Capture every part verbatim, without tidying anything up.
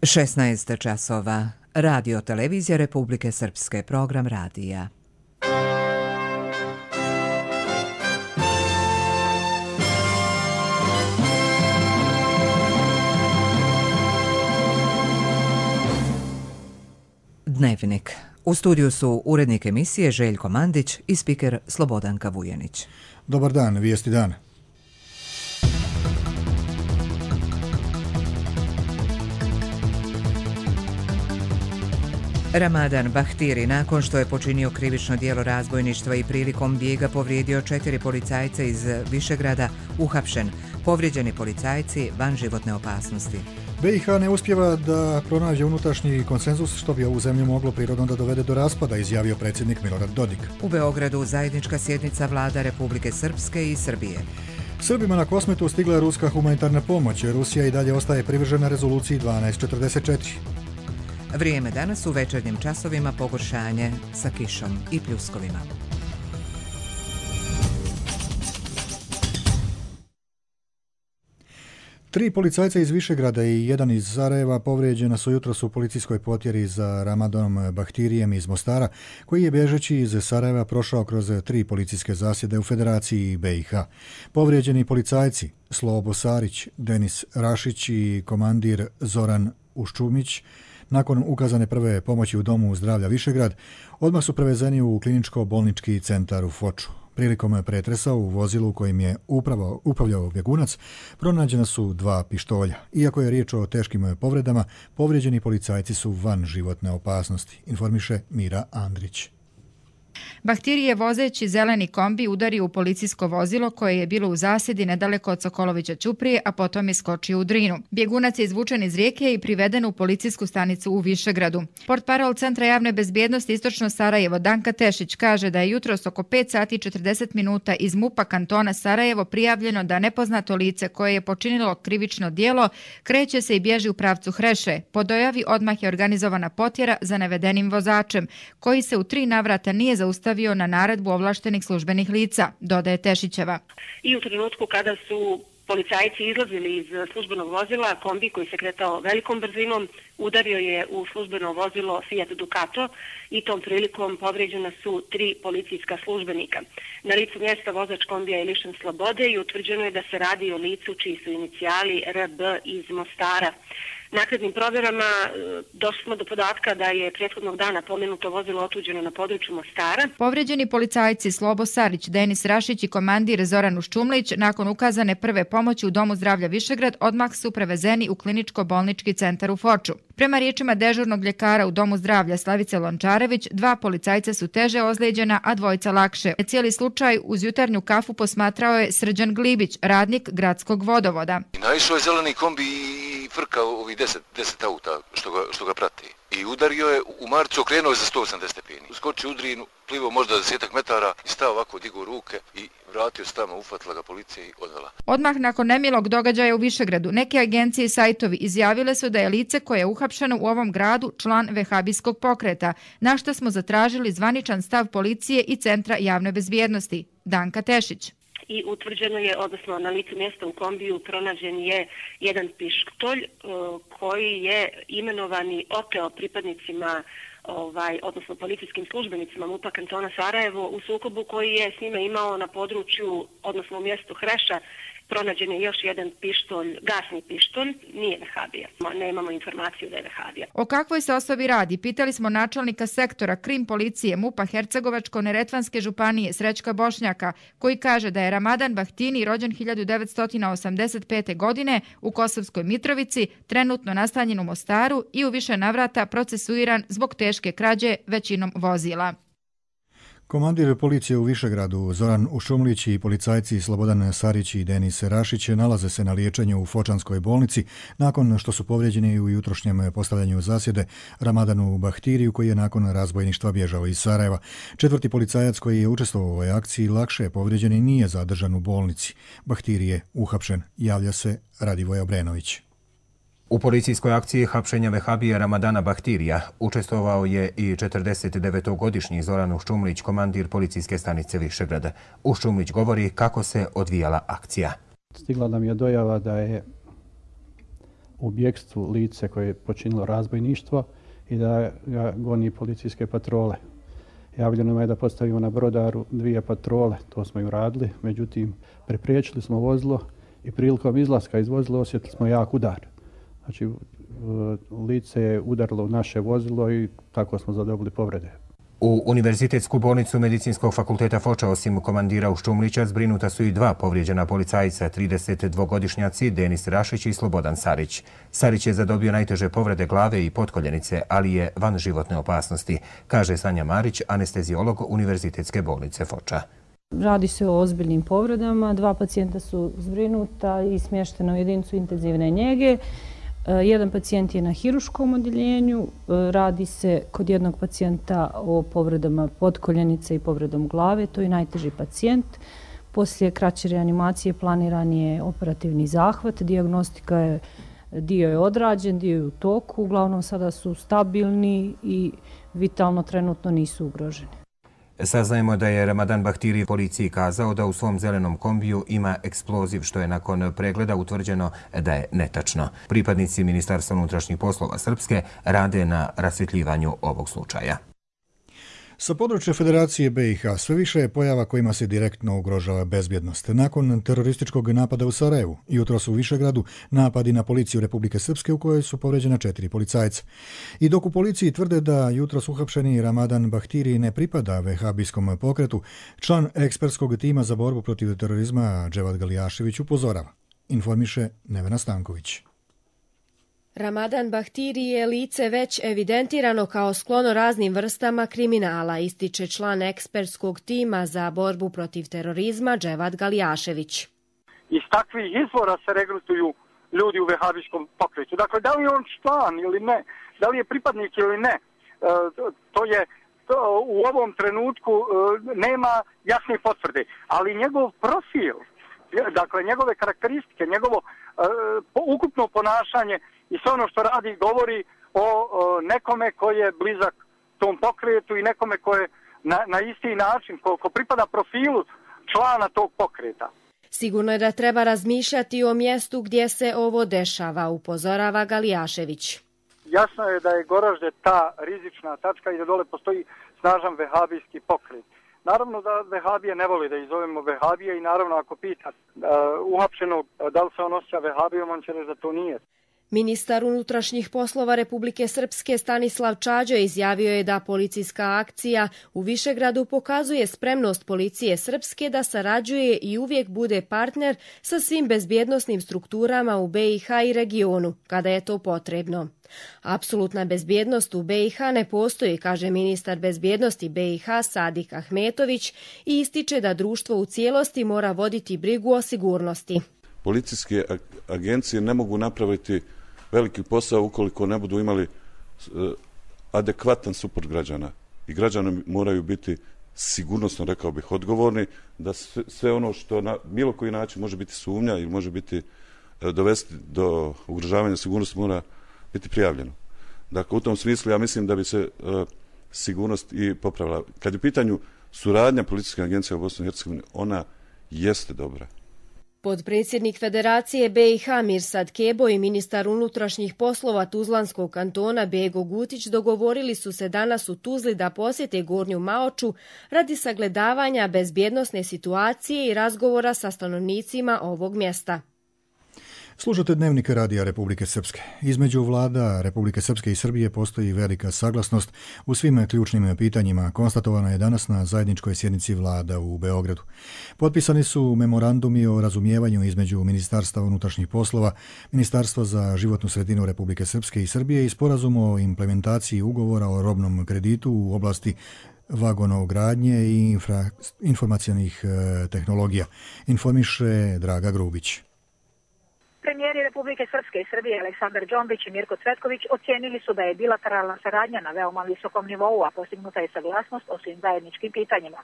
šesnaest časova. Radio Televizija Republike Srpske, program radija. Dnevnik. U studiju su urednik emisije Željko Mandić i spiker Slobodanka Vujanić. Dobar dan, vijesti dana. Ramadan Bahtiri, nakon što je počinio krivično djelo razbojništva i prilikom bijega povrijedio četiri policajca iz Višegrada, uhapšen. Povrijeđeni policajci van životne opasnosti. B i H ne uspijeva da pronađe unutrašnji konsenzus što bi ovu zemlju moglo prirodno da dovede do raspada, izjavio predsjednik Milorad Dodik. U Beogradu zajednička sjednica vlada Republike Srpske i Srbije. Srbima na Kosmetu stigla je ruska humanitarna pomoć. Rusija i dalje ostaje privržena rezoluciji dvanaest četrdeset četiri. Vrijeme danas u večernjim časovima pogoršanje sa kišom i pljuskovima. Tri policajca iz Višegrada i jedan iz Sarajeva povrijeđena su jutros u policijskoj potjeri za Ramadanom Bahtirijem iz Mostara, koji je bježeći iz Sarajeva prošao kroz tri policijske zasjede u Federaciji B i H. Povrijeđeni policajci Slobo Sarić, Denis Rašić i komandir Zoran Uščumić, nakon ukazane prve pomoći u Domu zdravlja Višegrad, odmah su prevezeni u kliničko-bolnički centar u Foču. Prilikom pretresa u vozilu kojim je upravo upravljao bjegunac, pronađena su dva pištolja. Iako je riječ o teškim povredama, povrijeđeni policajci su van životne opasnosti, informiše Mira Andrić. Bahtiri je vozeći zeleni kombi udario u policijsko vozilo koje je bilo u zasjedi nedaleko od Sokolovića Ćuprije, a potom je skočio u Drinu. Bjegunac je izvučen iz rijeke i priveden u policijsku stanicu u Višegradu. Portparol Centra javne bezbjednosti Istočno Sarajevo Danka Tešić kaže da je jutros oko pet sati i četrdeset minuta iz MUP-a kantona Sarajevo prijavljeno da nepoznato lice koje je počinilo krivično djelo kreće se i bježi u pravcu Hreše. Po dojavi odmah je organizovana potjera za navedenim vozačem, koji se u tri navrata nije zaustavio na naredbu ovlaštenih službenih lica, dodaje Tešićeva. I u trenutku kada su policajci izlazili iz službenog vozila, kombi koji se kretao velikom brzinom udario je u službeno vozilo Fiat Ducato i tom prilikom povrijeđena su tri policijska službenika. Na licu mjesta vozač kombija je lišen slobode i utvrđeno je da se radi o licu čiji su inicijali R B iz Mostara. Naknadnim provjerama došli smo do podatka da je prethodnog dana pomenuto vozilo otuđeno na području Mostara. Povrijeđeni policajci Slobo Sarić, Denis Rašić i komandir Zoran Uščumlić nakon ukazane prve pomoći u Domu zdravlja Višegrad odmah su prevezeni u kliničko-bolnički centar u Foču. Prema riječima dežurnog ljekara u Domu zdravlja Slavice Lončarević, dva policajca su teže ozlijeđena, a dvojica lakše. Cijeli slučaj uz jutarnju kafu posmatrao je Srđan Glibić, radnik gradskog vodovoda. Naišao je zeleni kombi i frka ovih deset, deset auta što ga, što ga prati. I udario je u Marcu, okrenuo je za sto osamdeset stepeni. Skočio u Drinu, plivao možda desetak metara i stao ovako, digao ruke i vratio se tamo, ufatila ga policija i odvela. Odmah nakon nemilog događaja u Višegradu, neke agencije i sajtovi izjavile su da je lice koje je uhapšeno u ovom gradu član vehabijskog pokreta, na što smo zatražili zvaničan stav policije i Centra javne bezbjednosti. Danka Tešić. I utvrđeno je, odnosno na licu mjesta u kombiju pronađen je jedan pištolj koji je imenovani oteo pripadnicima, ovaj, odnosno policijskim službenicima MUP-a kantona Sarajevo u sukobu koji je s njima imao na području, odnosno u mjestu Hreša. Pronađen je još jedan pištolj, gasni pištolj, nije vehabija. Nemamo informaciju da je vehabija. O kakvoj se osobi radi? Pitali smo načelnika sektora Krim policije MUP-a Hercegovačko-Neretvanske županije Srećka Bošnjaka, koji kaže da je Ramadan Bahtiri rođen hiljadu devetsto osamdeset pete. godine u Kosovskoj Mitrovici, trenutno nastanjen u Mostaru i u više navrata procesuiran zbog teške krađe većinom vozila. Komandir policije u Višegradu Zoran Uščumlić i policajci Slobodan Sarić i Denis Rašić nalaze se na liječenju u Fočanskoj bolnici nakon što su povrijeđeni u jutrošnjem postavljanju zasjede Ramadanu Bahtiriju koji je nakon razbojništva bježao iz Sarajeva. Četvrti policajac koji je učestvovao u ovoj akciji lakše povrijeđen i nije zadržan u bolnici. Bahtiri je uhapšen, javlja se Radivoj Obrenović. U policijskoj akciji hapšenja vehabija Ramadana Bahtirija učestvovao je i četrdesetdevetogodišnji Zoran Uščumlić, komandir policijske stanice Višegrada. Uščumlić govori kako se odvijala akcija. Stigla nam je dojava da je u bjekstvu lice koje je počinilo razbojništvo i da ga goni policijske patrole. Javljeno nam je da postavimo na brodaru dvije patrole, to smo i uradili, međutim prepriječili smo vozilo i prilikom izlaska iz vozila osjetili smo jak udar. Znači, lice je udarilo u naše vozilo i tako smo zadobili povrede. U Univerzitetsku bolnicu Medicinskog fakulteta Foča osim komandira Uščumlića zbrinuta su i dva povrijeđena policajca, tridesetdvogodišnjaci Denis Rašić i Slobodan Sarić. Sarić je zadobio najteže povrede glave i potkoljenice, ali je van životne opasnosti, kaže Sanja Marić, anesteziolog Univerzitetske bolnice Foča. Radi se o ozbiljnim povredama, dva pacijenta su zbrinuta i smještena u jedinicu intenzivne njege. Jedan pacijent je na hiruškom odjeljenju, radi se kod jednog pacijenta o povredama potkoljenice i povredom glave, to je najteži pacijent. Poslije kraće reanimacije planiran je operativni zahvat, dijagnostika je, dio je odrađen, dio je u toku, uglavnom sada su stabilni i vitalno trenutno nisu ugroženi. Saznajemo da je Ramadan Bahtiri policiji kazao da u svom zelenom kombiju ima eksploziv, što je nakon pregleda utvrđeno da je netačno. Pripadnici Ministarstva unutrašnjih poslova Srpske rade na rasvjetljivanju ovog slučaja. Sa područja Federacije B i H sve više je pojava kojima se direktno ugrožava bezbjednost. Nakon terorističkog napada u Sarajevu, jutros u Višegradu, napadi na policiju Republike Srpske u kojoj su povređena četiri policajca. I dok u policiji tvrde da jutros uhapšeni Ramadan Bahtiri ne pripada vehabijskom pokretu, član ekspertskog tima za borbu protiv terorizma Dževad Galijašević upozorava. Informiše Nevena Stanković. Ramadan Bahtiri je lice već evidentirano kao sklono raznim vrstama kriminala, ističe član ekspertskog tima za borbu protiv terorizma Dževad Galijašević. Iz takvih izvora se regrutuju ljudi u vehabijskom pokretu. Dakle, da li je on član ili ne, da li je pripadnik ili ne, to je to u ovom trenutku nema jasne potvrde, ali njegov profil, dakle njegove karakteristike, njegovo ukupno ponašanje i sve ono što radi govori o, o nekome koji je blizak tom pokretu i nekome koji je na, na isti način, ko, ko pripada profilu člana tog pokreta. Sigurno je da treba razmišljati o mjestu gdje se ovo dešava, upozorava Galijašević. Jasno je da je Goražde ta rizična tačka i da dole postoji snažan vehabijski pokret. Naravno da vehabije ne voli da izovemo vehabije i naravno ako pita uh, uhapšenog da li se on osjeća vehabijom, on će reći da to nije. Ministar unutrašnjih poslova Republike Srpske Stanislav Čađo izjavio je da policijska akcija u Višegradu pokazuje spremnost policije Srpske da sarađuje i uvijek bude partner sa svim bezbjednosnim strukturama u B i H i regionu, kada je to potrebno. Apsolutna bezbjednost u B i H ne postoji, kaže ministar bezbjednosti B i H Sadik Ahmetović i ističe da društvo u cijelosti mora voditi brigu o sigurnosti. Policijske agencije ne mogu napraviti veliki posao ukoliko ne budu imali adekvatan suport građana. I građani moraju biti sigurnosno, rekao bih, odgovorni da sve ono što na bilo koji način može biti sumnja ili može biti dovesti do ugrožavanja sigurnosti mora biti prijavljeno. Dakle, u tom smislu ja mislim da bi se sigurnost i popravila. Kad je u pitanju suradnja policijske agencije u Bosni i Hercegovini, ona jeste dobra. Podpredsjednik Federacije B i H Mirsad Kebo i ministar unutrašnjih poslova Tuzlanskog kantona Bego Gutić dogovorili su se danas u Tuzli da posjete Gornju Maoču radi sagledavanja bezbjednosne situacije i razgovora sa stanovnicima ovog mjesta. Slušate Dnevnik Radija Republike Srpske. Između vlada Republike Srpske i Srbije postoji velika saglasnost u svim ključnim pitanjima. Konstatovana je danas na zajedničkoj sjednici vlada u Beogradu. Potpisani su memorandumi o razumijevanju između Ministarstva unutrašnjih poslova, Ministarstva za životnu sredinu Republike Srpske i Srbije i sporazum o implementaciji ugovora o robnom kreditu u oblasti vagonogradnje i infra, informacionih e, tehnologija. Informiše Draga Grubić. Premijeri Republike Srpske i Srbije Aleksandar Džombić i Mirko Cvetković ocijenili su da je bilateralna saradnja na veoma visokom nivou, a postignuta je saglasnost o svim zajedničkim pitanjima.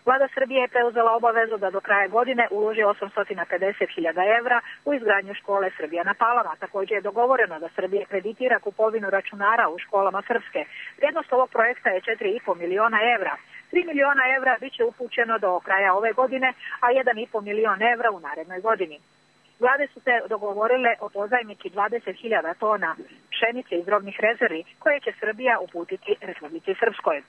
Vlada Srbije je preuzela obavezu da do kraja godine uloži osamsto pedeset hiljada evra u izgradnju škole Srbija na Palama. Također je dogovoreno da Srbija kreditira kupovinu računara u školama Srpske. Vrijednost ovog projekta je četiri i po miliona evra. tri miliona evra biće upućeno do kraja ove godine, a jedan i po milion evra u narednoj godini. Vlade su se dogovorile o pozajmici dvadeset hiljada tona pšenice iz robnih rezervi koje će Srbija uputiti Republici Srpskoj.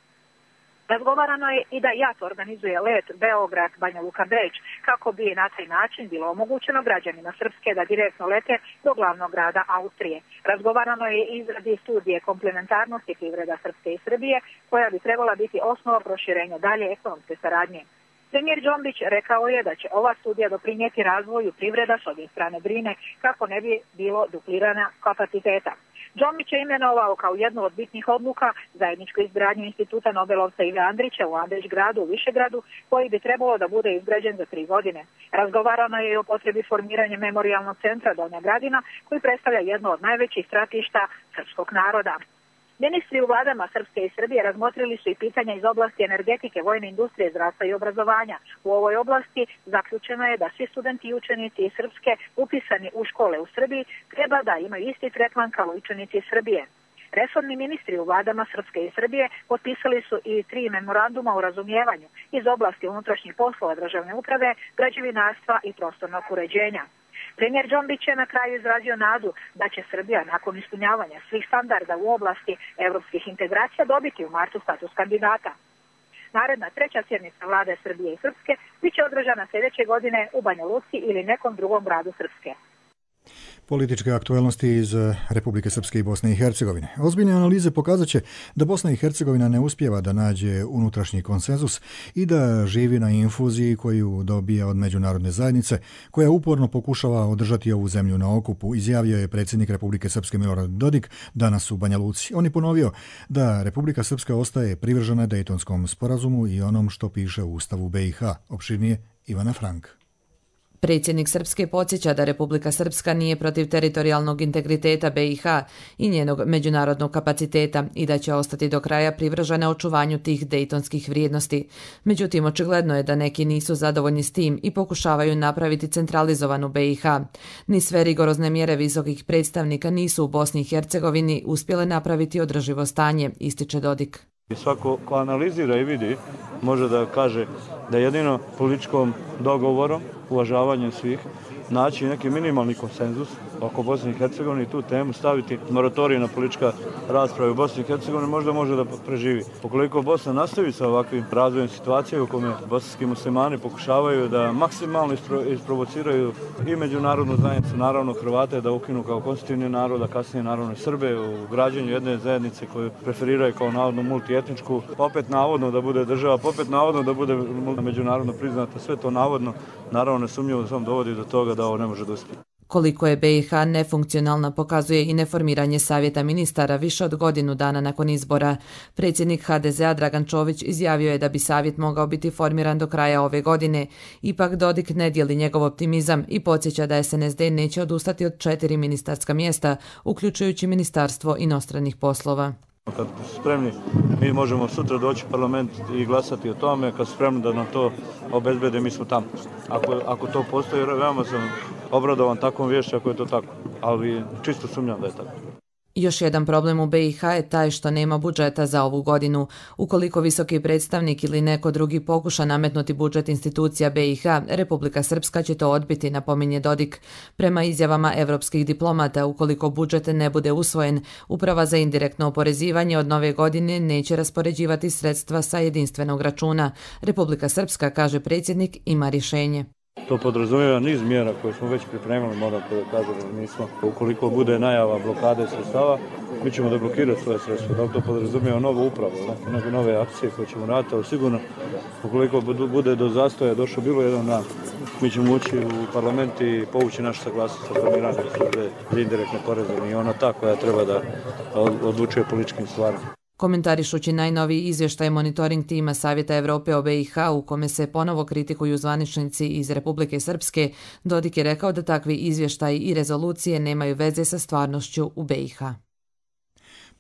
Razgovarano je i da JAT organizuje let Beograd-Banja Luka-Beč kako bi na taj način bilo omogućeno građanima Srpske da direktno lete do glavnog grada Austrije. Razgovarano je i izradi studije komplementarnosti privreda Srpske i Srbije koja bi trebala biti osnova proširenja dalje ekonomske saradnje. Premijer Džombić rekao je da će ova studija doprinijeti razvoju privreda s obje strane Drine kako ne bi bilo duplirana kapaciteta. Džombić je imenovao kao jednu od bitnih odluka zajedničku izgradnju instituta Nobelovca Ive Andrića u Andrić gradu u Višegradu, koji bi trebalo da bude izgrađen za tri godine. Razgovarano je i o potrebi formiranja memorijalnog centra Donja Gradina, koji predstavlja jedno od najvećih stratišta srpskog naroda. Ministri u vladama Srpske i Srbije razmotrili su i pitanja iz oblasti energetike, vojne industrije, zdravstva i obrazovanja. U ovoj oblasti zaključeno je da svi studenti i učenici iz Srpske upisani u škole u Srbiji treba da imaju isti tretman kao učenici iz Srbije. Resorni ministri u vladama Srpske i Srbije potpisali su i tri memoranduma o razumijevanju iz oblasti unutrašnjih poslova državne uprave, građevinarstva i prostornog uređenja. Premijer Džombić je na kraju izrazio nadu da će Srbija nakon ispunjavanja svih standarda u oblasti evropskih integracija dobiti u martu status kandidata. Naredna treća sjednica vlade Srbije i Srpske biće održana sljedeće godine u Banja Luci ili nekom drugom gradu Srpske. Političke aktualnosti iz Republike Srpske i Bosne i Hercegovine. Ozbiljne analize pokazat će da Bosna i Hercegovina ne uspijeva da nađe unutrašnji konsenzus i da živi na infuziji koju dobija od međunarodne zajednice, koja uporno pokušava održati ovu zemlju na okupu, izjavio je predsjednik Republike Srpske Milorad Dodik danas u Banja Luci. On je ponovio da Republika Srpska ostaje privržena Dejtonskom sporazumu i onom što piše u Ustavu B i H. Opširnije Ivana Frank. Predsjednik Srpske podsjeća da Republika Srpska nije protiv teritorijalnog integriteta B i H i njenog međunarodnog kapaciteta i da će ostati do kraja privržena očuvanju tih dejtonskih vrijednosti. Međutim, očigledno je da neki nisu zadovoljni s tim i pokušavaju napraviti centralizovanu B i H. Ni sve rigorozne mjere visokih predstavnika nisu u Bosni i Hercegovini uspjele napraviti održivo stanje, ističe Dodik. Svako ko analizira i vidi može da kaže da jedino političkom dogovorom, uvažavanjem svih, naći neki minimalni konsenzus oko Bosne i Hercegovine i tu temu staviti moratorij na politička rasprava u Bosni i Hercegovini možda može da preživi. Ukoliko Bosna nastavi sa ovakvim razvojem situacije u kome bosanski muslimani pokušavaju da maksimalno isprovociraju i međunarodnu zajednicu, naravno Hrvate, da ukinu kao konstitutivni narod, a kasnije naravno i Srbe u građenju jedne zajednice koju preferiraju kao navodno multietničku, opet navodno da bude država, opet navodno da bude međunarodno priznata, sve to navodno, naravno nesumnjivo samo dovodi do toga da ovo ne može da uspije. Koliko je B i H nefunkcionalna pokazuje i neformiranje savjeta ministara više od godinu dana nakon izbora. Predsjednik H D Z-a Dragan Čović izjavio je da bi savjet mogao biti formiran do kraja ove godine. Ipak Dodik ne dijeli njegov optimizam i podsjeća da S N S D neće odustati od četiri ministarska mjesta, uključujući Ministarstvo inostranih poslova. Kad su spremni, mi možemo sutra doći u parlament i glasati o tome. Kad su spremni da nam to obezbede, mi smo tamo. Ako, ako to postoji, veoma sam obradovan takvom vješću ako je to tako. Ali čisto sumnjam da je tako. Još jedan problem u B i H je taj što nema budžeta za ovu godinu. Ukoliko visoki predstavnik ili neko drugi pokuša nametnuti budžet institucija B i H, Republika Srpska će to odbiti, napominje Dodik. Prema izjavama evropskih diplomata, ukoliko budžet ne bude usvojen, Uprava za indirektno oporezivanje od nove godine neće raspoređivati sredstva sa jedinstvenog računa. Republika Srpska, kaže predsjednik, ima rješenje. To podrazumijeva niz mjera koje smo već pripremili, moram to da kažem, mi smo, ukoliko bude najava blokade sredstava, mi ćemo da blokirati svoje sredstva. Da li to podrazumijeva novu upravu, neke nove akcije koje ćemo raditi, ali sigurno, ukoliko bude do zastoja došlo bilo jedan dan, mi ćemo ući u parlament i povući našu saglasnost sa formiranjem službe za indirektne poreze i ona ta koja treba da odlučuje političkim stvarima. Komentarišući najnoviji izvještaj monitoring tima Savjeta Evrope o B i H u kome se ponovo kritikuju zvaničnici iz Republike Srpske, Dodik je rekao da takvi izvještaji i rezolucije nemaju veze sa stvarnošću u B i H.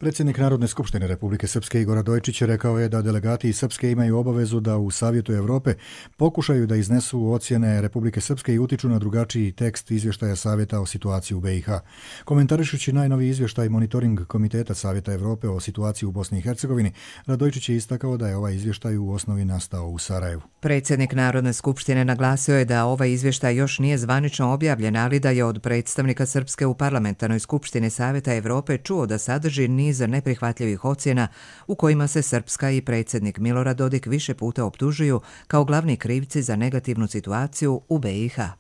Predsjednik Narodne skupštine Republike Srpske Igor Radojičić rekao je da delegati iz Srpske imaju obavezu da u Savjetu Evrope pokušaju da iznesu ocjene Republike Srpske i utiču na drugačiji tekst izvještaja Savjeta o situaciji u B i H. Komentarišući najnoviji izvještaj Monitoring Komiteta Savjeta Evrope o situaciji u Bosni i Hercegovini, Radojičić je istakao da je ovaj izvještaj u osnovi nastao u Sarajevu. Predsjednik Narodne skupštine naglasio je da ovaj izvještaj još nije zvanično objavljen, ali da je od predstavnika Srpske u Parlamentarnoj skupštini Savjeta Evrope čuo da sadrži niz neprihvatljivih ocjena u kojima se Srpska i predsjednik Milorad Dodik više puta optužuju kao glavni krivci za negativnu situaciju u B i H.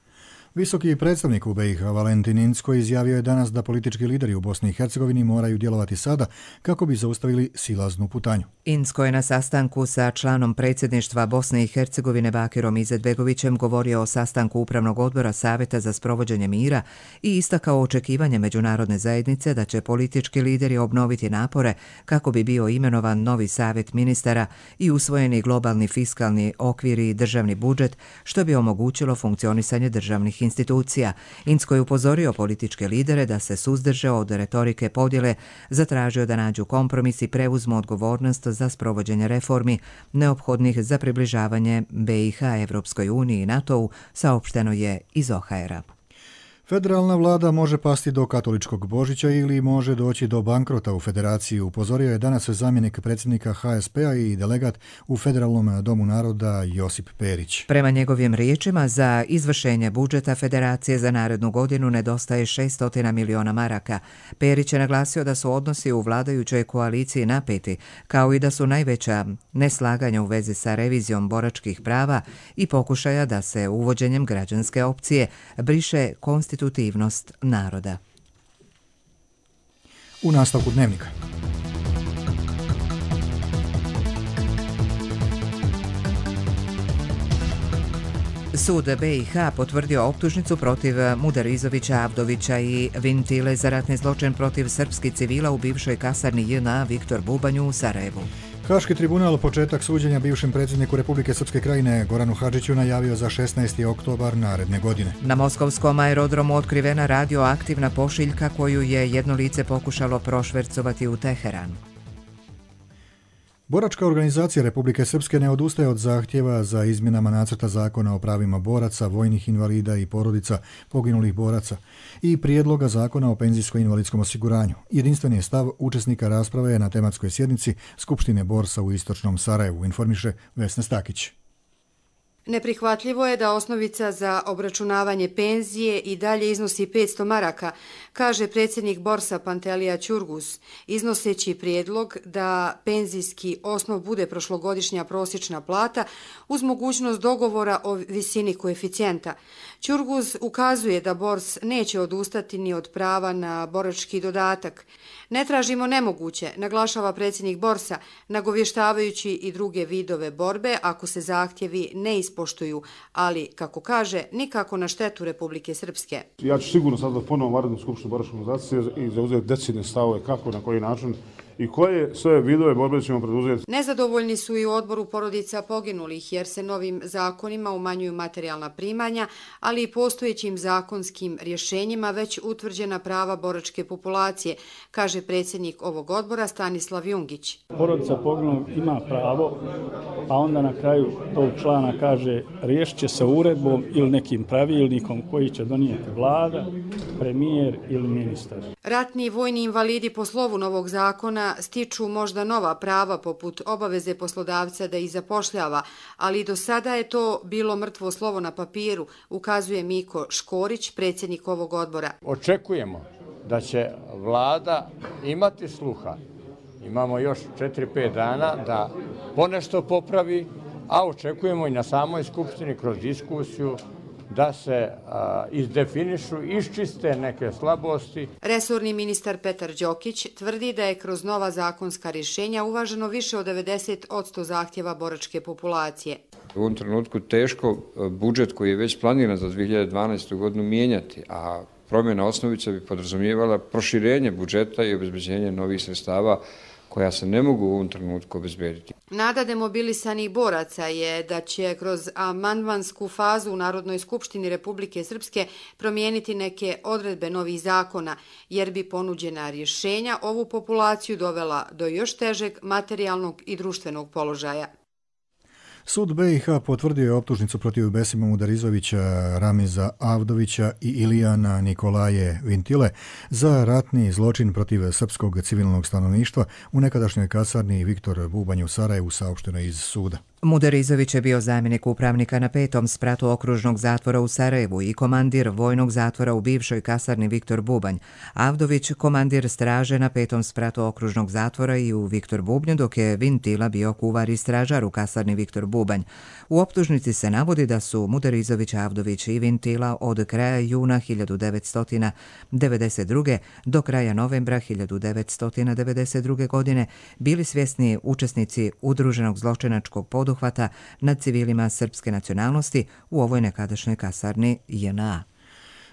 Visoki predstavnik u B i H Valentin Incko izjavio je danas da politički lideri u Bosni i Hercegovini moraju djelovati sada kako bi zaustavili silaznu putanju. Incko je na sastanku sa članom predsjedništva Bosne i Hercegovine Bakirom Izetbegovićem govorio o sastanku Upravnog odbora Savjeta za sprovođenje mira i istakao očekivanje međunarodne zajednice da će politički lideri obnoviti napore kako bi bio imenovan novi savjet ministara i usvojeni globalni fiskalni okvir i državni budžet, što bi omogućilo funkcionisanje državnih institucija. Incko je upozorio političke lidere da se suzdrže od retorike podjele, zatražio da nađu kompromis i preuzmu odgovornost za sprovođenje reformi neophodnih za približavanje B i H Evropskoj uniji i NATO-u, saopšteno je iz O H R-a. Federalna vlada može pasti do katoličkog Božića ili može doći do bankrota u federaciji, upozorio je danas zamjenik predsjednika H S P-a i delegat u Federalnom domu naroda Josip Perić. Prema njegovim riječima, za izvršenje budžeta federacije za narednu godinu nedostaje šessto miliona maraka. Perić je naglasio da su odnosi u vladajućoj koaliciji napeti, kao i da su najveća neslaganja u vezi sa revizijom boračkih prava i pokušaja da se uvođenjem građanske opcije briše konstitutivnost naroda. U nastavku dnevnika. Sud B i H potvrdio optužnicu protiv Mudarizovića, Avdovića i Vintile za ratni zločin protiv srpskih civila u bivšoj kasarni J N A Viktor Bubanju u Sarajevu. Haški tribunal početak suđenja bivšem predsjedniku Republike Srpske Krajine Goranu Hadžiću najavio za šesnaesti oktobar naredne godine. Na moskovskom aerodromu otkrivena radioaktivna pošiljka koju je jedno lice pokušalo prošvercovati u Teheran. Boračka organizacija Republike Srpske ne odustaje od zahtjeva za izmjenama nacrta zakona o pravima boraca, vojnih invalida i porodica poginulih boraca i prijedloga zakona o penzijsko-invalidskom osiguranju. Jedinstveni je stav učesnika rasprave na tematskoj sjednici Skupštine Borsa u istočnom Sarajevu, informiše Vesna Stakić. Neprihvatljivo je da osnovica za obračunavanje penzije i dalje iznosi petsto maraka, kaže predsjednik Borsa Pantelija Ćurgus, iznoseći prijedlog da penzijski osnov bude prošlogodišnja prosječna plata uz mogućnost dogovora o visini koeficijenta. Ćurgus ukazuje da Bors neće odustati ni od prava na borački dodatak. Ne tražimo nemoguće, naglašava predsjednik Borsa, nagovještavajući i druge vidove borbe ako se zahtjevi ne ispoštuju, ali, kako kaže, nikako na štetu Republike Srpske. Ja ću sigurno sad da ponovom Narodnu skupštinu boračke organizacije i zauzeti decidne stavove kako, na koji način i koje sve vidove borbe ćemo preduzeti. Nezadovoljni su i u odboru porodica poginulih jer se novim zakonima umanjuju materijalna primanja, ali i postojećim zakonskim rješenjima već utvrđena prava boračke populacije, kaže predsjednik ovog odbora Stanislav Jungić. Porodica poginulih ima pravo, a onda na kraju tog člana kaže riješit će se uredbom ili nekim pravilnikom koji će donijeti vlada, premijer ili ministar. Ratni i vojni invalidi po slovu novog zakona stiču možda nova prava poput obaveze poslodavca da ih zapošljava, ali do sada je to bilo mrtvo slovo na papiru, ukazuje Miko Škorić, predsjednik ovog odbora. Očekujemo da će vlada imati sluha. Imamo još četiri pet dana da ponešto popravi, a očekujemo i na samoj skupštini kroz diskusiju da se a, izdefinišu, iščiste neke slabosti. Resorni ministar Petar Đokić tvrdi da je kroz nova zakonska rješenja uvaženo više od devedeset posto zahtjeva boračke populacije. U ovom trenutku teško budžet koji je već planiran za dvije hiljade dvanaestu. godinu mijenjati, a promjena osnovica bi podrazumijevala proširenje budžeta i obezbeđenje novih sredstava koja se ne mogu u ovom trenutku obezbediti. Nada demobilisanih boraca je da će kroz amandmansku fazu u Narodnoj skupštini Republike Srpske promijeniti neke odredbe novih zakona, jer bi ponuđena rješenja ovu populaciju dovela do još težeg materijalnog i društvenog položaja. Sud B i H potvrdio je optužnicu protiv Besima Mudarizovića, Ramiza Avdovića i Ilijana Nikolaje Vintile za ratni zločin protiv srpskog civilnog stanovništva u nekadašnjoj kasarni Viktor Bubanj u Sarajevu, saopšteno iz suda. Mudarizović je bio zamjenik upravnika na petom spratu okružnog zatvora u Sarajevu i komandir vojnog zatvora u bivšoj kasarni Viktor Bubanj. Avdović komandir straže na petom spratu okružnog zatvora i u Viktor Bubnju, dok je Vintila bio kuvar i stražar u kasarni Viktor Bubanj. U optužnici se navodi da su Mudarizović, Avdović i Vintila od kraja juna hiljadu devetsto devedeset druge. do kraja novembra hiljadu devetsto devedeset druge. godine bili svjesni učesnici udruženog zločinačkog poduhvata nad civilima srpske nacionalnosti u ovoj nekadašnjoj kasarni J N A.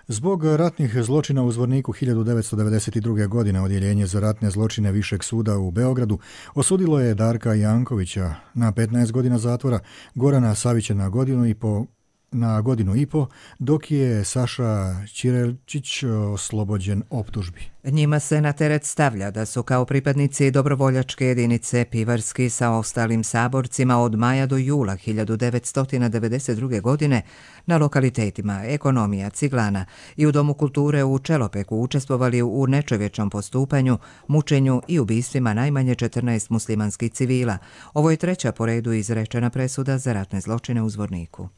Zbog ratnih zločina u Zvorniku hiljadu devetsto devedeset druge. godine Odjeljenje za ratne zločine Višeg suda u Beogradu osudilo je Darka Jankovića na petnaest godina zatvora, Gorana Savića na godinu i po na godinu i po, dok je Saša Ćirelčić oslobođen optužbi. Njima se na teret stavlja da su kao pripadnici dobrovoljačke jedinice Pivarski sa ostalim saborcima od maja do jula hiljadu devetsto devedeset druge. godine na lokalitetima Ekonomija, Ciglana i u Domu kulture u Čelopeku učestvovali u nečovječnom postupanju, mučenju i ubistvima najmanje četrnaest muslimanskih civila. Ovo je treća po redu izrečena presuda za ratne zločine u Zvorniku.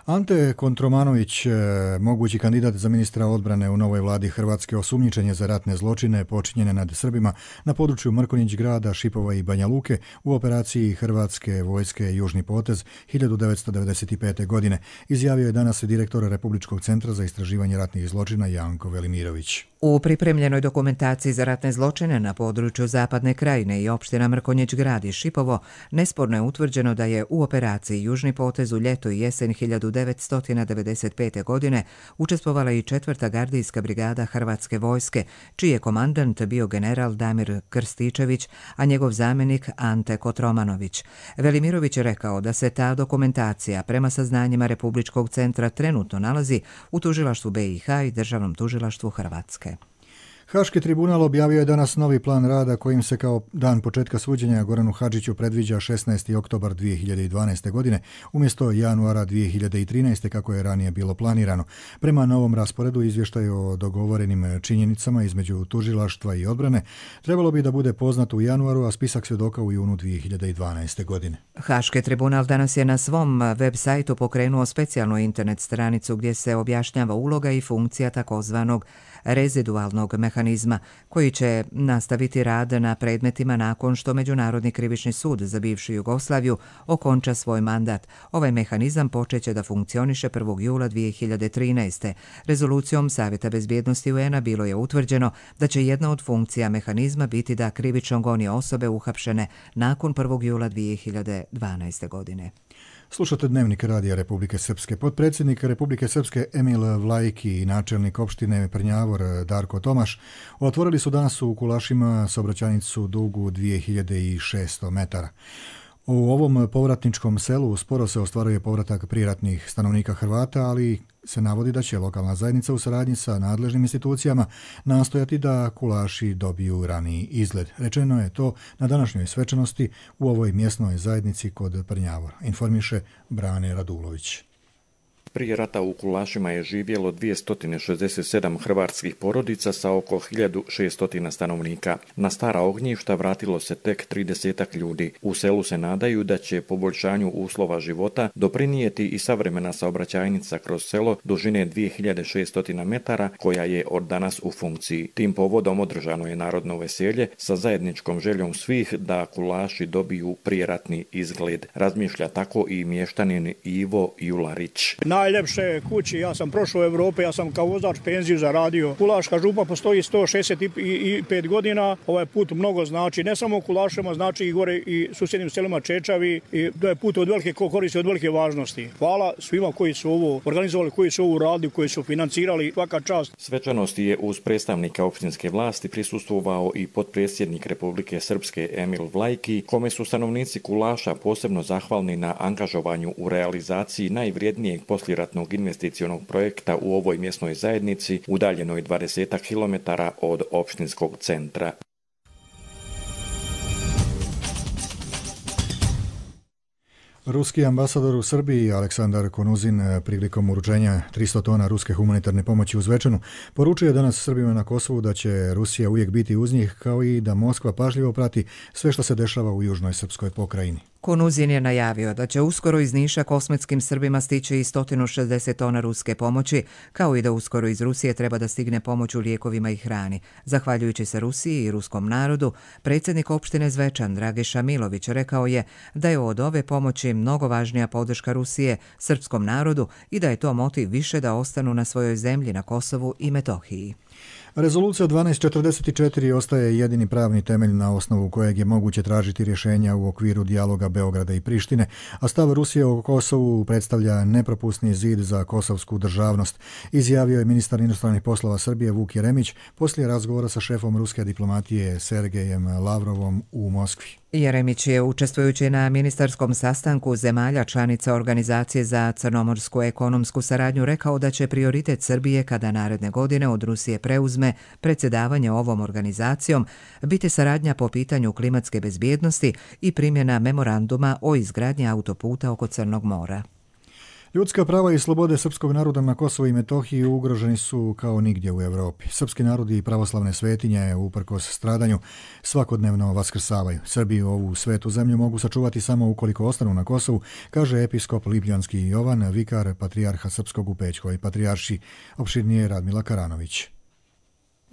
Ante Kontromanović, mogući kandidat za ministra odbrane u novoj vladi Hrvatske, osumnjičen je za ratne zločine počinjene nad Srbima na području Mrkonjić grada, Šipova i Banja Luke u operaciji Hrvatske vojske Južni potez hiljadu devetsto devedeset pete. godine, izjavio je danas direktor Republičkog centra za istraživanje ratnih zločina Janko Velimirović. U pripremljenoj dokumentaciji za ratne zločine na području Zapadne krajine i opština Mrkonjić grad i Šipovo nesporno je utvrđeno da je u operaciji Južni potez u ljeto i jesen hiljadu devetsto devedeset pete. godine učestvovala i četvrta gardijska brigada Hrvatske vojske, čiji je komandant bio general Damir Krstičević, a njegov zamjenik Ante Kotromanović. Velimirović je rekao da se ta dokumentacija prema saznanjima Republičkog centra trenutno nalazi u tužilaštvu B i H i Državnom tužilaštvu Hrvatske. Haški tribunal objavio je danas novi plan rada kojim se kao dan početka suđenja Goranu Hadžiću predviđa šesnaesti oktobar dvije hiljade dvanaeste. godine umjesto januara dvije hiljade trinaeste. kako je ranije bilo planirano. Prema novom rasporedu izvještaj o dogovorenim činjenicama između tužilaštva i odbrane trebalo bi da bude poznat u januaru, a spisak svjedoka u junu dvije hiljade dvanaeste. godine. Haški tribunal danas je na svom web sajtu pokrenuo specijalnu internet stranicu gdje se objašnjava uloga i funkcija takozvanog rezidualnog mehanizma koji će nastaviti rad na predmetima nakon što Međunarodni krivični sud za bivšu Jugoslaviju okonča svoj mandat. Ovaj mehanizam počeće da funkcioniše prvog jula dvije hiljade trinaeste. Rezolucijom Savjeta bezbjednosti U N A bilo je utvrđeno da će jedna od funkcija mehanizma biti da krivično goni osobe uhapšene nakon prvog jula dvije hiljade dvanaeste. godine. Slušate Dnevnik Radija Republike Srpske. Potpredsjednik Republike Srpske Emil Vlajki i načelnik opštine Prnjavor Darko Tomaš otvorili su danas u Kulašima saobraćajnicu dugu dvije hiljade šesto metara. U ovom povratničkom selu sporo se ostvaruje povratak priratnih stanovnika Hrvata, ali se navodi da će lokalna zajednica u saradnji sa nadležnim institucijama nastojati da Kulaši dobiju raniji izgled. Rečeno je to na današnjoj svečanosti u ovoj mjesnoj zajednici kod Prnjavora, informiše Brane Radulović. Prije rata u Kulašima je živjelo dvjesto šezdeset sedam hrvatskih porodica sa oko hiljadu šesto stanovnika. Na stara ognjišta vratilo se tek tridesetak ljudi. U selu se nadaju da će poboljšanju uslova života doprinijeti i savremena saobraćajnica kroz selo dužine dvije hiljade šesto metara koja je od danas u funkciji. Tim povodom održano je narodno veselje sa zajedničkom željom svih da Kulaši dobiju prijeratni izgled. Razmišlja tako i mještanin Ivo Jularić. najljepše kući, ja sam prošao u Evrope, ja sam kao vozač penziju zaradio. Kulaška župa postoji sto šezdeset pet godina, ovaj put mnogo znači, ne samo Kulašima, znači i gore i susjednim selima Čečavi, i to je put od velike koristi, od velike važnosti. Hvala svima koji su ovo organizovali, koji su ovo radili, koji su financirali, svaka čast. Svečanosti je uz predstavnika opštinske vlasti prisustvovao i potpredsjednik Republike Srpske Emil Vlajki, kome su stanovnici Kulaša posebno zahvalni na angažovanju u realizaciji najvrijednijeg poslijeratnog investicionog projekta u ovoj mjesnoj zajednici, udaljenoj dvadeset kilometara od opštinskog centra. Ruski ambasador u Srbiji Aleksandar Konuzin prilikom uručenja tristo tona ruske humanitarne pomoći u Zvečanu poručuje danas Srbima na Kosovu da će Rusija uvijek biti uz njih, kao i da Moskva pažljivo prati sve što se dešava u južnoj srpskoj pokrajini. Konuzin je najavio da će uskoro iz Niša kosmetskim Srbima stići i sto šezdeset tona ruske pomoći, kao i da uskoro iz Rusije treba da stigne pomoć u lijekovima i hrani. Zahvaljujući se Rusiji i ruskom narodu, predsjednik opštine Zvečan Dragiša Milović rekao je da je od ove pomoći mnogo važnija podrška Rusije srpskom narodu i da je to motiv više da ostanu na svojoj zemlji na Kosovu i Metohiji. Rezolucija dvanaest četrdeset četiri ostaje jedini pravni temelj na osnovu kojeg je moguće tražiti rješenja u okviru dijaloga Beograda i Prištine, a stav Rusije o Kosovu predstavlja nepropusni zid za kosovsku državnost, izjavio je ministar inostranih poslova Srbije Vuk Jeremić poslije razgovora sa šefom ruske diplomatije Sergejem Lavrovom u Moskvi. Jeremić je, učestvujući na ministarskom sastanku zemalja članica Organizacije za crnomorsku ekonomsku saradnju, rekao da će prioritet Srbije kada naredne godine od Rusije preuzme predsjedavanje ovom organizacijom biti saradnja po pitanju klimatske bezbjednosti i primjena memoranduma o izgradnji autoputa oko Crnog mora. Ljudska prava i slobode srpskog naroda na Kosovu i Metohiji ugroženi su kao nigdje u Evropi. Srpski narodi i pravoslavne svetinje, uprkos stradanju, svakodnevno vaskrsavaju. Srbi ovu svetu zemlju mogu sačuvati samo ukoliko ostanu na Kosovu, kaže episkop Lipljanski Jovan, vikar patrijarha srpskog u Pećkoj patrijarši, opširnije Radmila Karanović.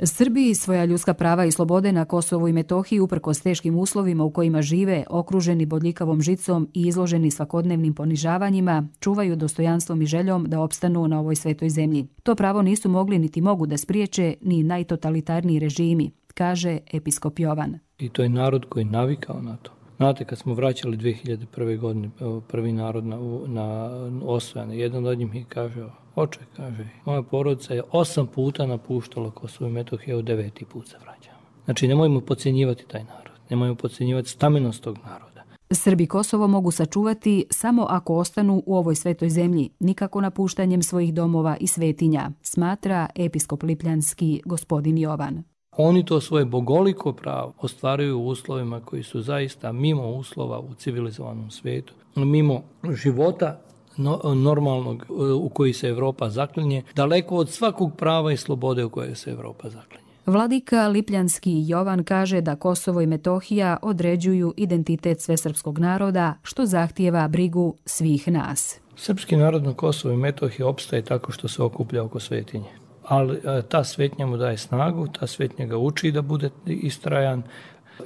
Srbiji svoja ljudska prava i slobode na Kosovu i Metohiji uprkos teškim uslovima u kojima žive, okruženi bodljikavom žicom i izloženi svakodnevnim ponižavanjima, čuvaju dostojanstvom i željom da opstanu na ovoj svetoj zemlji. To pravo nisu mogli niti mogu da spriječe ni najtotalitarniji režimi, kaže episkop Jovan. I to je narod koji je navikao na to. Znate, kad smo vraćali dvije hiljade prve. godine prvi narod na, na osvojene, jedan od njih mi kaže, oče, kaže, moja porodica je osam puta napuštala Kosovo i Metohiju, deveti put se vraćamo. Znači, nemojmo podcjenjivati taj narod, nemojmo podcjenjivati stamennost tog naroda. Srbi Kosovo mogu sačuvati samo ako ostanu u ovoj svetoj zemlji, nikako napuštanjem svojih domova i svetinja, smatra episkop Lipljanski gospodin Jovan. Oni to svoje bogoliko pravo ostvaruju u uslovima koji su zaista mimo uslova u civilizovanom svijetu, mimo života normalnog u koji se Evropa zaklinje, daleko od svakog prava i slobode u koje se Evropa zaklinje. Vladika Lipljanski Jovan kaže da Kosovo i Metohija određuju identitet svesrpskog naroda, što zahtijeva brigu svih nas. Srpski narod na Kosovo i Metohiji opstaje tako što se okuplja oko svetinje. Ali ta svetnja mu daje snagu, ta svetnja ga uči da bude istrajan.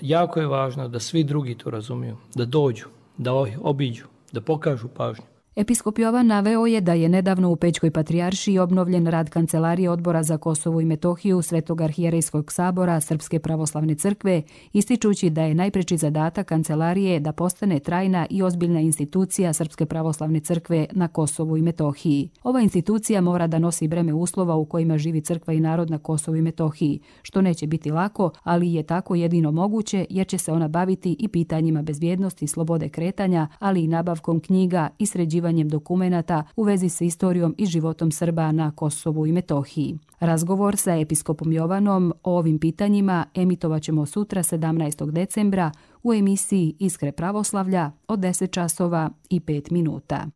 Jako je važno da svi drugi to razumiju, da dođu, da obiđu, da pokažu pažnju. Episkop Jovan naveo je da je nedavno u Pećkoj patrijaršiji obnovljen rad Kancelarije Odbora za Kosovo i Metohiju Svetog arhijerejskog sabora Srpske pravoslavne crkve, ističući da je najpreći zadatak Kancelarije da postane trajna i ozbiljna institucija Srpske pravoslavne crkve na Kosovu i Metohiji. Ova institucija mora da nosi breme uslova u kojima živi crkva i narod na Kosovu i Metohiji, što neće biti lako, ali je tako jedino moguće jer će se ona baviti i pitanjima bezbjednosti i slobode kretanja, ali i nabavkom knjiga i sređivanjem dokumenata u vezi sa istorijom i životom Srba na Kosovu i Metohiji. Razgovor sa episkopom Jovanom o ovim pitanjima emitovat ćemo sutra sedamnaestog decembra u emisiji Iskre pravoslavlja od deset časova i pet minuta.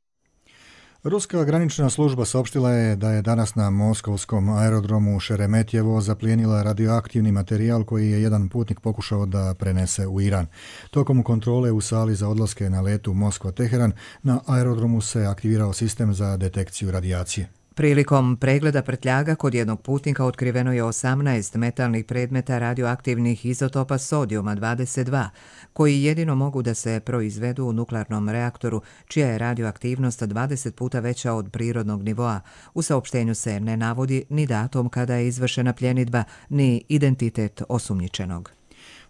Ruska granična služba saopštila je da je danas na moskovskom aerodromu Šeremetjevo zaplijenila radioaktivni materijal koji je jedan putnik pokušao da prenese u Iran. Tokom kontrole u sali za odlaske na letu Moskva-Teheran na aerodromu se aktivirao sistem za detekciju radijacije. Prilikom pregleda prtljaga kod jednog putnika otkriveno je osamnaest metalnih predmeta radioaktivnih izotopa sodijuma dvadeset dva, koji jedino mogu da se proizvedu u nuklearnom reaktoru, čija je radioaktivnost dvadeset puta veća od prirodnog nivoa. U saopštenju se ne navodi ni datum kada je izvršena pljenidba, ni identitet osumnjičenog.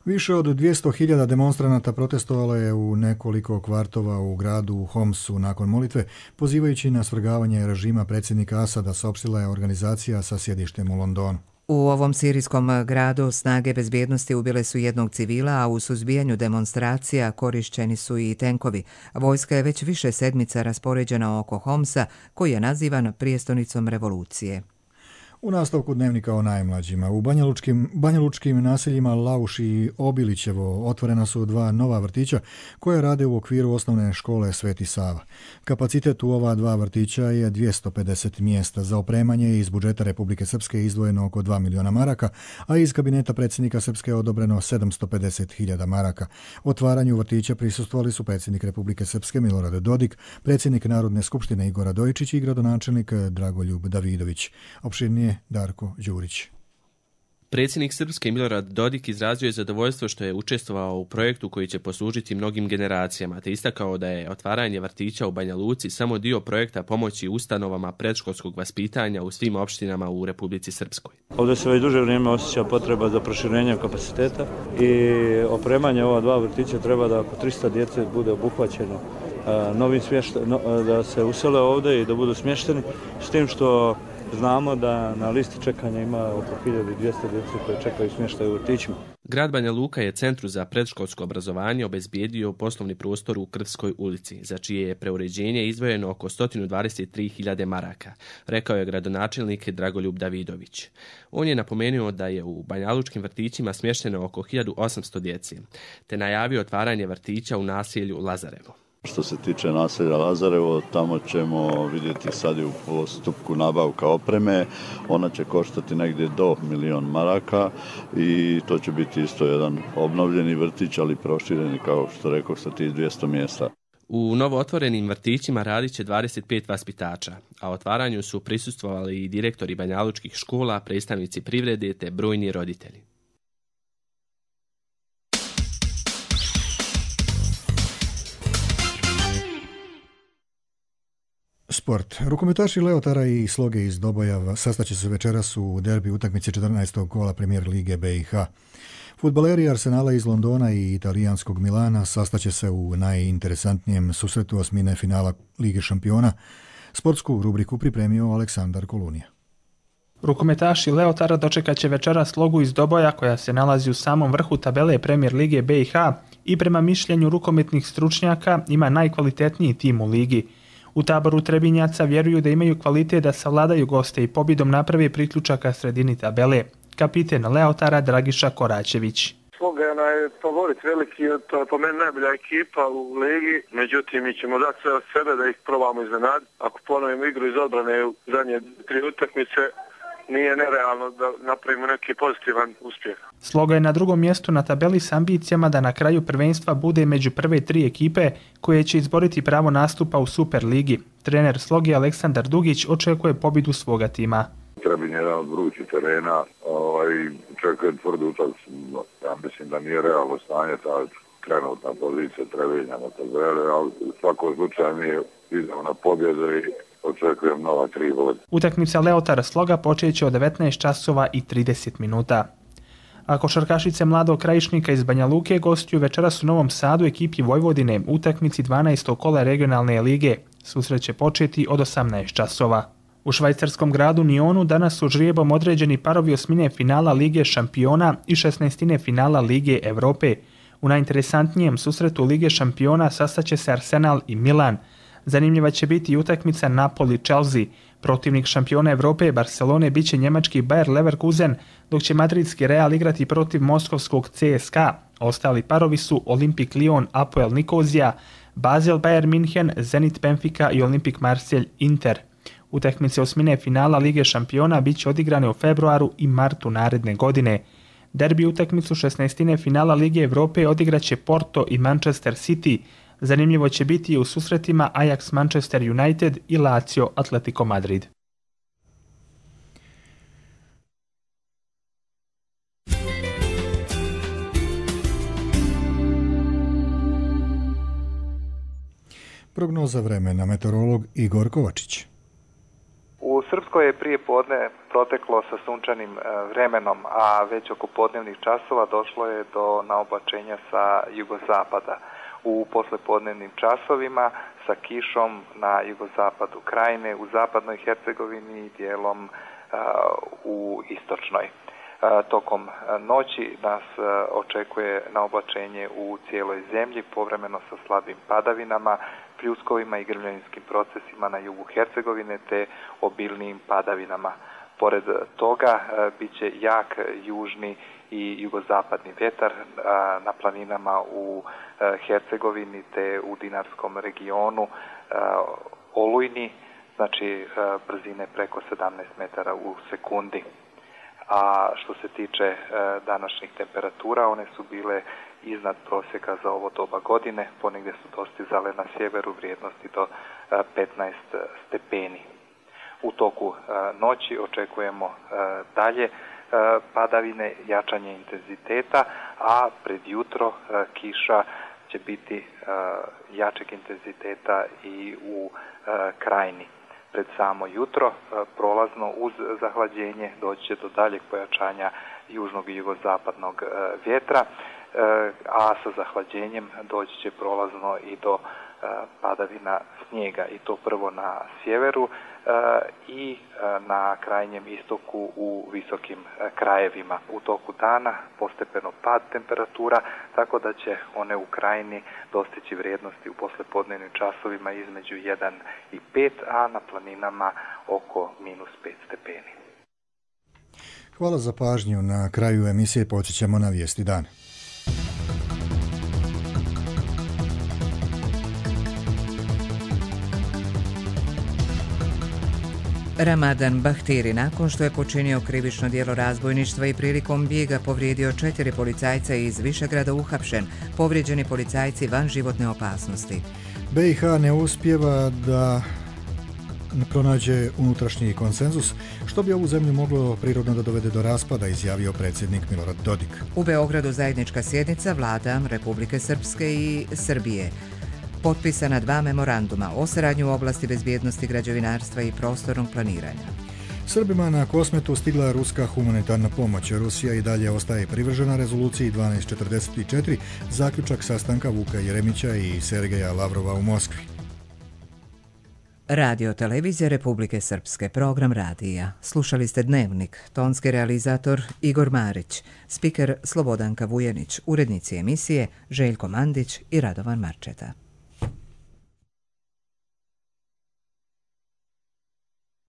Više od dvjesto hiljada demonstranata protestovalo je u nekoliko kvartova u gradu Homsu nakon molitve, pozivajući na svrgavanje režima predsjednika Asada, saopštila je organizacija sa sjedištem u Londonu. U ovom sirijskom gradu snage bezbjednosti ubile su jednog civila, a u suzbijanju demonstracija korišćeni su i tenkovi. Vojska je već više sedmica raspoređena oko Homsa, koji je nazivan prijestonicom revolucije. U nastavku dnevnika o najmlađima, u banjalučkim, banjalučkim naseljima Lauš i Obilićevo otvorena su dva nova vrtića koje rade u okviru osnovne škole Sveti Sava. Kapacitet u ova dva vrtića je dvjesto pedeset mjesta. Za opremanje iz budžeta Republike Srpske izdvojeno oko dva miliona maraka, a iz kabineta predsjednika Srpske je odobreno sedamsto pedeset hiljada maraka. Otvaranju vrtića prisustvovali su predsjednik Republike Srpske Milorad Dodik, predsjednik Narodne skupštine Igor Radojičić i gradonačelnik Dragoljub Davidović. Opširnije Darko Đurić. Predsjednik Srpske Milorad Dodik izrazio je zadovoljstvo što je učestvovao u projektu koji će poslužiti mnogim generacijama, te istakao da je otvaranje vrtića u Banja Luci samo dio projekta pomoći ustanovama predškolskog vaspitanja u svim opštinama u Republici Srpskoj. Ovdje se već duže vrijeme osjeća potreba za proširenjem kapaciteta i opremanje ova dva vrtića treba da oko tristo djece bude obuhvaćeno novim smještajem, da se usele ovdje i da budu smješteni, s tim što znamo da na listi čekanja ima oko hiljadu dvjesto djece koje čekaju smještaj u vrtićima. Grad Banja Luka je Centru za predškolsko obrazovanje obezbijedio poslovni prostor u Krvskoj ulici, za čije je preuređenje izdvojeno oko sto dvadeset tri hiljade maraka, rekao je gradonačelnik Dragoljub Davidović. On je napomenuo da je u banjalučkim vrtićima smješteno oko hiljadu osamsto djece, te najavio otvaranje vrtića u naselju Lazarevo. Što se tiče naselja Lazarevo, tamo ćemo vidjeti sad i u postupku nabavka opreme. Ona će koštati negdje do milion maraka i to će biti isto jedan obnovljeni vrtić, ali prošireni, kao što rekao, sa tih dvjesto mjesta. U novootvorenim vrtićima radit će dvadeset pet vaspitača, a otvaranju su prisustvovali i direktori banjalučkih škola, predstavnici privrede te brojni roditelji. Sport. Rukometaši Leotara i Sloge iz Doboja sastaće se večeras u derbi utakmice četrnaestog kola Premier lige B i H. Fudbaleri Arsenala iz Londona i italijanskog Milana sastaće se u najinteresantnijem susretu osmine finala Lige šampiona. Sportsku rubriku pripremio Aleksandar Kolunija. Rukometaši Leotara dočekat će večeras Slogu iz Doboja, koja se nalazi u samom vrhu tabele Premier lige B i H i prema mišljenju rukometnih stručnjaka ima najkvalitetniji tim u ligi. U taboru Trebinjaca vjeruju da imaju kvalitet da savladaju goste i pobjedom naprave priključaka sredini tabele. Kapiten Leotara Dragiša Koračević. Sloga je onaj favorit veliki, to je po meni najbolja ekipa u ligi, međutim mi ćemo dati sve od sebe da ih probamo iznenaditi. Ako ponovimo igru iz odbrane u zadnje tri utakmice, nije nerealno da napravimo neki pozitivan uspjeh. Sloga je na drugom mjestu na tabeli s ambicijama da na kraju prvenstva bude među prve tri ekipe koje će izboriti pravo nastupa u Super ligi. Trener Sloge Aleksandar Dugić očekuje pobjedu svoga tima. Trebin je jedan od vrućih terena, ovaj, čekuje tvrdu utakmicu. Ja mislim da nije realno stanje ta trenutna pozicija Trebinja na tabeli, ali u svakom slučaju mi idemo na pobjedu i očekujem nova tri boda. Utakmica Leotara Sloga počeće od devetnaest časova i trideset minuta. A košarkašice Mladog Krajišnika iz Banja Luke gostuju večeras u Novom Sadu ekipi Vojvodine u utakmici dvanaestog kola regionalne lige. Susret će početi od osamnaest časova. U švajcarskom gradu Nionu danas su žrijebom određeni parovi osmine finala Lige šampiona i šesnaestine finala Lige Evrope. U najinteresantnijem susretu Lige šampiona sastaće se Arsenal i Milan. Zanimljiva će biti i utakmica Napoli-Chelsea. Protivnik šampiona Evrope Barcelone biće njemački Bayer Leverkusen, dok će madridski Real igrati protiv moskovskog C S K A. Ostali parovi su Olimpik Lyon, Apoel Nikozija, Basel Bayern München, Zenit Benfica i Olimpik Marselj Inter. Utakmice osmine finala Lige šampiona bit će odigrane u februaru i martu naredne godine. Derbi utakmicu šesnaestine finala Lige Evrope odigraće Porto i Manchester City. Zanimljivo će biti i u susretima Ajax Manchester United i Lazio Atletico Madrid. Prognoza vremena, meteorolog Igor Kovačić. U Srpskoj je prije podne proteklo sa sunčanim vremenom, a već oko podnevnih časova došlo je do naoblačenja sa jugozapada. U poslepodnevnim časovima sa kišom na jugozapadu Krajine, u zapadnoj Hercegovini i dijelom u istočnoj. Tokom noći nas očekuje naoblačenje u cijeloj zemlji, povremeno sa slabim padavinama, pljuskovima i grmljavinskim procesima na jugu Hercegovine te obilnijim padavinama. Pored toga bit će jak južni i jugozapadni vjetar na planinama u Hercegovini te u Dinarskom regionu, olujni, znači brzine preko sedamnaest metara u sekundi. A što se tiče današnjih temperatura, one su bile iznad prosjeka za ovo doba godine, ponegdje su dostizale na sjeveru vrijednosti do petnaest stepeni. U toku noći očekujemo dalje padavine, jačanje intenziteta, a pred jutro kiša će biti jačeg intenziteta i u Krajini. Pred samo jutro prolazno uz zahlađenje doći će do daljeg pojačanja južnog i jugozapadnog vjetra, a sa zahlađenjem doći će prolazno i do padavina snijega, i to prvo na sjeveru i na krajnjem istoku u visokim krajevima. U toku dana postepeno pad temperatura, tako da će one u Krajini dostići vrijednosti u poslepodnevnim časovima između jedan i pet, a na planinama oko minus pet stepeni. Hvala za pažnju. Na kraju emisije podsjećamo na vijesti dana. Ramadan Bahtiri, nakon što je počinio krivično djelo razbojništva i prilikom bijega povrijedio četiri policajca iz Višegrada, uhapšen. Povrijeđeni policajci van životne opasnosti. B i H ne uspijeva da pronađe unutrašnji konsenzus, što bi ovu zemlju moglo prirodno da dovede do raspada, izjavio predsjednik Milorad Dodik. U Beogradu zajednička sjednica vlada Republike Srpske i Srbije. Potpisana dva memoranduma o saradnji u oblasti bezbjednosti, građevinarstva i prostornog planiranja. Srbima na Kosmetu stigla ruska humanitarna pomoć. Rusija i dalje ostaje privržena rezoluciji dvanaest četrdeset četiri, zaključak sastanka Vuka Jeremića i Sergeja Lavrova u Moskvi. Radio televizija Republike Srpske, program radija. Slušali ste Dnevnik, tonski realizator Igor Marić, spiker Slobodanka Vujenić, urednici emisije Željko Mandić i Radovan Marčeta.